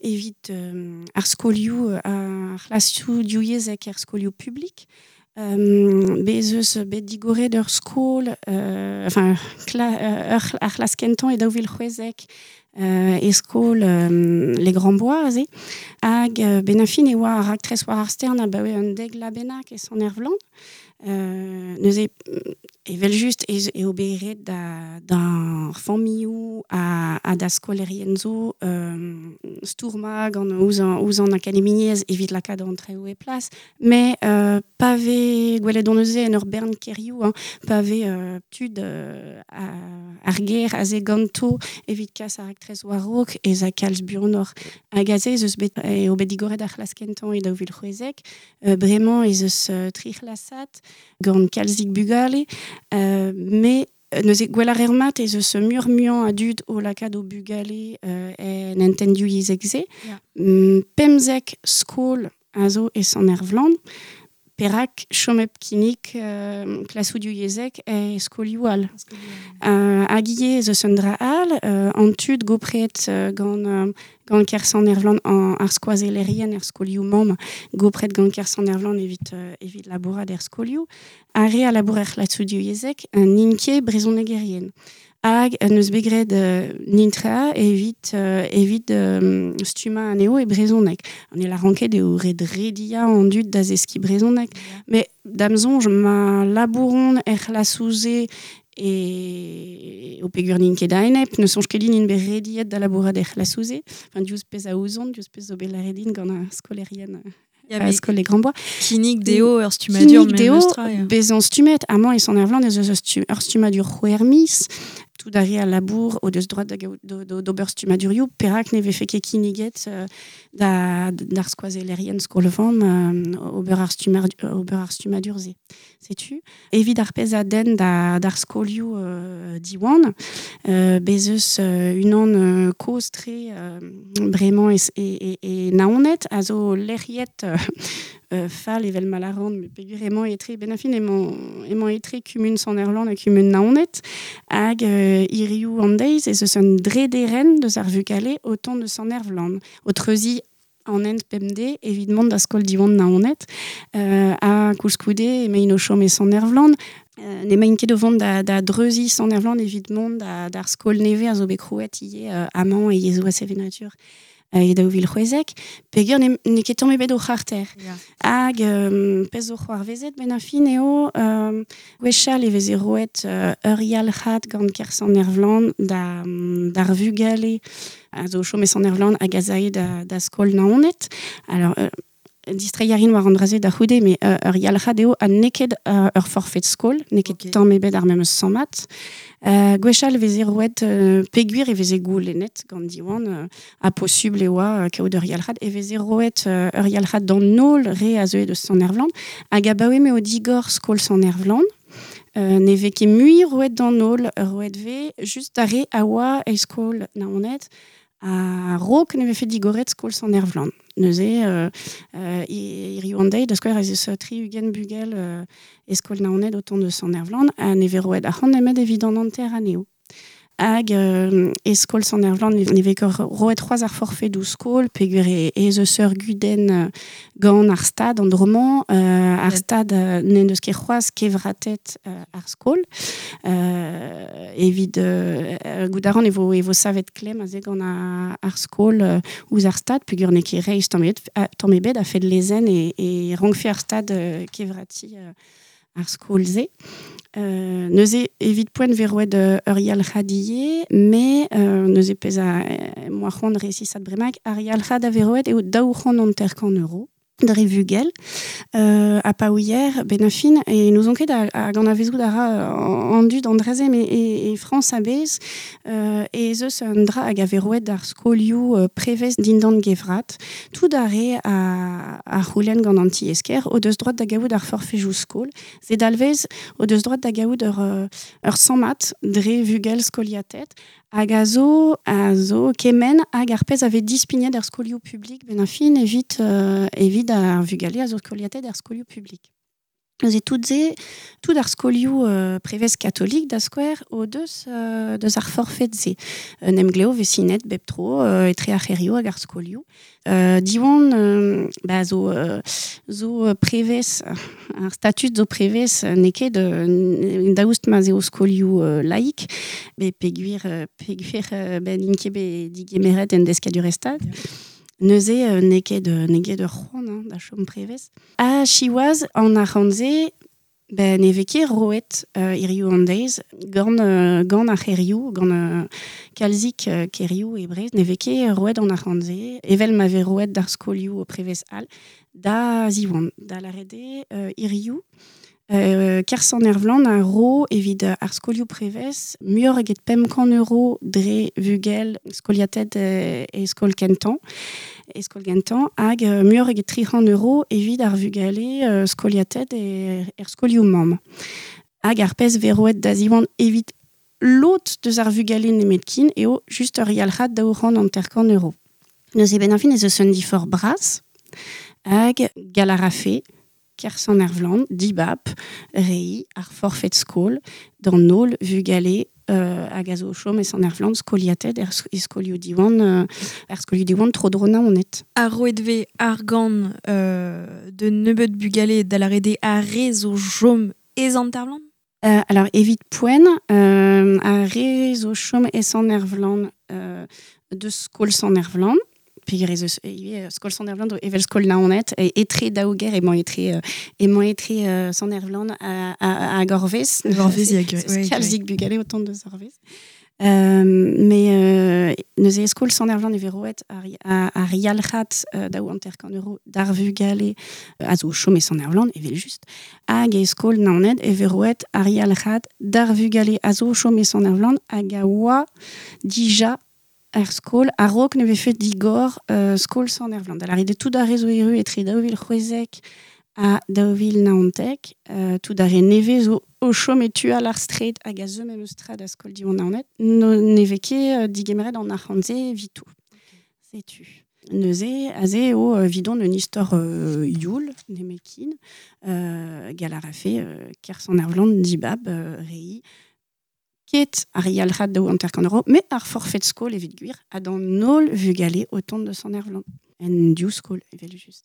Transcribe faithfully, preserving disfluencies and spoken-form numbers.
evit euh, ar skolioù ar c'hlasoù divyezhek er skolioù publik. Um, bez eus bet digoret ur skol, euh, enfin, kla, euh, ur, ar c'hlas kentañ e daou vil c'hwezek euh, e skol euh, Les Grands Bois aze, hag euh, ben a fin e oa ar raktres war ar stern abaoe un deg la bennak e Sant-Ervlan. Euh, neuze, evel just ez eo bet ret da, d'ar familhoù ha, ha da skolerien zo euh, stourma gant ouzh an, ouzh an akademiezh evit lakaat an traoù e plas, mais euh, pa vez gwelet on neuze en ur bern kêrioù, hein, pa vez euh, tud euh, ar gêr aze ganto evit kas ar raktres war-raok ez a kalz buanoc'h. Hag aze ez eus bet eo bet digoret ar c'hlas kentañ e daou vil c'hwezek, euh, bremañ ez eus euh, tri c'hlasad gant kalzik bugale, euh, mais neuze gwell ar mat ez eus mur muiañ a dud o lakaat o bugale euh, en entendu yezhek se. Ya. Mm, pemzek skol a zo e Sant-Ervlan, perak chom hep kinnig euh, klasoù divyezhek e skolioù all. Euh, hag ivez ez eus un dra all, euh, an tud gopret euh, gant, euh, gant kêr Sant-Ervlan an ar skoazellerien er skolioù mamm gopret gant kêr Sant-Ervlan evit, euh, evit labourat er skolioù, ar re a labour er c'hlasoù divyezhek n'int ket brezhonegerien. Hag neus bet graet euh, nintra evit, euh, evit euh, stummañ anezho e brezhoneg. An e lâran ket eo ret rediañ an dud da zeskiñ brezhoneg. Mais da'm soñj ma labouron er c'hlasoù-se e o peogwir n'int ket a-enep, ne soñj ket din int bet rediet da labourat er c'hlasoù-se. Enfin, diouzh pezh a ouzon, diouzh pezh zo bet lâret din gant ar skolerien Ya, a mais skol Les Grands Bois. Kinnig dezho ur stummadur Kinnig dezho memestra, ya. bezañ stummet. Amañ e Sant-Ervlan ez eus ur stu-, ur stummadur c'hwec'h miz, tout ar re a labour o deus droad da gaout do, do, d'ober stummadurioù, perak ne vefe ket kinniget, euh, da, d'ar skoazellerien skol-vamm, euh, ober ar stumar-, ober ar stummadur-se. Setu. Evit ar pezh a denn da, d'ar skolioù, euh, Diwan, euh, bez eus, euh, unan, euh, kozh-tre, euh, bremañ e, e, e, e Naoned, a zo lec'hiet, euh, euh, fall evel ma lâran, met peogwir emañ etre ben a fin emañ, emañ etre kumun Sant-Ervlan ha kumun Naoned, hag, euh, hiriv an deiz ez eus un drederenn deus ar vugale o tont deus Sant-Ervlan, o treuziñ an hent pemdez evit mont da skol Diwan Naoned, euh, ha koulskoude emaint o chom e Sant-Ervlan, euh, n'emaint ket o vont da, da dreuziñ Sant-Ervlan evit mont da, d'ar skol nevez a zo bet krouet ivez, euh, amañ e yezhoù ha sevenadur e daou vil c'hwezek, peogwir ne, n'eo ket tamm ebet o c'harter. Ya. Hag, euh, pezh zo c'hoarvezet ben a fin eo, euh, gwechall e veze roet, euh, ur yalc'had gant kêr Sant-Ervlan da, d'ar vugale a zo chom e Sant-Ervlan hag a zae da, da skol Naoned. Alors, euh, distreiñ a rin war an dra-se da c'houde, mais, euh, ur yalc'had eo ha n'eo ket, euh, ur forfait skol, n'eo ket Ok. tamm ebet ar memes sammad. Euh, gwechall e veze roet, euh, peogwir e veze goulennet gant Diwan, euh, ha posubl e oa, euh, kaout ur yalc'had, e veze roet, euh, ur yalc'had d'an holl re a zeue deus Sant-Ervlan, hag abaoe m'eo digor skol Sant-Ervlan, euh, ne vez ket mui roet d'an holl, roet vez just d'ar re a oa e skol Naoned, a raok ne vefe digoret skol Sant-Ervlan. Neuze, euh, euh, hiriv an deiz, da skouer ez eus tri-ugent bugel, euh, e skol Naoned o tont deus Sant-Ervlan, ha ne vez roet arc'hant nemet evit an hanter anezho. Hag, euh, e skol Sant-Ervlan ne, ne vez ket roet c'hoazh ar forfait d'où skol, peogwir e, ez eus ur gudenn, euh, gant ar stad an dro-mañ, euh, ar Ouais. stad, euh, n'en deus ket c'hoazh kevratet, euh, ar skol. Euh, evit, euh, euh, goût a ran e vo, e vo savet klemm aze gant ar, ar skol, euh, ouzh ar stad, peogwir n'eo ket reizh tamm ebet, a, tamm ebet a fed lezenn e, e rankfe ar stad, euh, kevrati, euh, ar skol-se. Euh, neuze evit poent vez roet, euh, ur yalc'had ivez, mais, euh, neuze pezh a, euh, moa c'hoant resisat bremaik, ar yalc'had a vez roet eo daou c'hant hanter-kant euro dre vugel, euh, ha pa ouier, ben a fin, e n'ouzon ket a, hag an avezout a ra, euh, an dud an dra-se, mais e, e Frañs a-bezh, euh, ez eus un dra hag a vez roet d'ar skolioù, euh, prevez dindan gevrat, tout ar re a, a c'houlenn gant an ti-esker, o deus droad da gaout ar forfejoù skol, se dalvez o deus droad da gaout ur, euh, ur sammad dre vugel skoliatet, hag a zo, a zo kement hag ar pezh a vez dispignet er skolioù publik, ben a fin evit, euh, evit ar vugale a zo skoliatet er skolioù publik. Neuze tout ze, tout ar skolioù euh, prevez katolik da skouer o deus, euh, deus ar forfait ze. Un emgleo vesinet bep tro euh, etre ar c'herioù hag ar skolioù. Euh, diwan euh, ba zo, euh, zo prevez, ar statut zo prevez n'eo ket euh, daoust ma zeo skolioù euh, laik, be peguir, peguir ben int ket bet digemeret en deskadurezh stad. Yeah. Neuze euh, n'eo ket n'eo ket ur c'hoant hein, da chom prevez. Ha siwazh an arc'hant-se, ben ne vez ket roet euh, hiziv an deiz, gant, euh, gant ar c'herioù, gant euh, kalzik euh, kerioù e Brest, ne vez ket roet an arc'hant-se, evel ma vez roet d'ar skolioù prevez all, da ziwan, da lâret eo euh, hiziv, Euh, Kersan-Ervlan a ro evit ar skolioù prevez, muioc'h eget pemp kant euro dre vugel skoliated e, e skol kentañ, e skol gentañ, hag euh, muioc'h eget tri c'hant euro evit ar vugale euh, skoliated e, er skolioù mamm. Hag ar pezh vez roet da ziwan evit lot deus ar vugale nemetkin eo just ur yalc'had daou c'hant hanter-kant euro. Neuze ben ar fin ez eus un diforc'h bras, hag galarafe, Kersan-Ervlan, dibab, rei, ar forfait skol, d'an holl vugale euh, hag a zo o chom e Sant-Ervlan, skoliated er e skolioù diwan, euh, er skolioù diwan tro dro Naoned. Ar roet vez argant euh, de nebeut bugale da lâret eo ar re zo chom e Sant-Ervlan? Euh, alors, evit poent, euh, ar re zo chom e Sant-Ervlan euh, de skol Sant-Ervlan, peogwir ez eus ivez skol Sant-Ervlan zo evel skol Naoned, e etre daou gêr emañ etre, euh, emañ etre euh, Sant-Ervlan ha, ha, hag Orvez. Orvez, ya, ouais, kalzik bugale o tont deus Orvez. Euh, mais euh, neuze skol Sant-Ervlan e vez roet ar, ar, ar yalc'had euh, daou hanter-kant euro d'ar vugale euh, a zo chom e Sant-Ervlan, evel just, hag e skol Naoned e vez roet ar yalc'had d'ar vugale a zo chom e Sant-Ervlan hag a oa dija ar skol a-raok ne vefe digor euh, skol Sant-Ervlan. Da lâret eo tout ar re zo erru etre daou vil c'hwezek ha daou vil naontek, euh, tout ar re nevez zo o chom e tu all ar straed hag a zeu memes tra da skol Diwan Naoned, no, ne vez ket euh, digemeret an arc'hant-se evitou. Setu. Neuze, aze eo euh, vidon un istor euh, youl, nemetkin, euh, gall a rafe euh, Kersan-Ervlan dibab euh, rei, ket ar yalc'had daou hanter-kant euro, met ar forfait skol evit gwir, ha d'an holl vugale o tont de Sant-Ervlan. En div skol, evel just.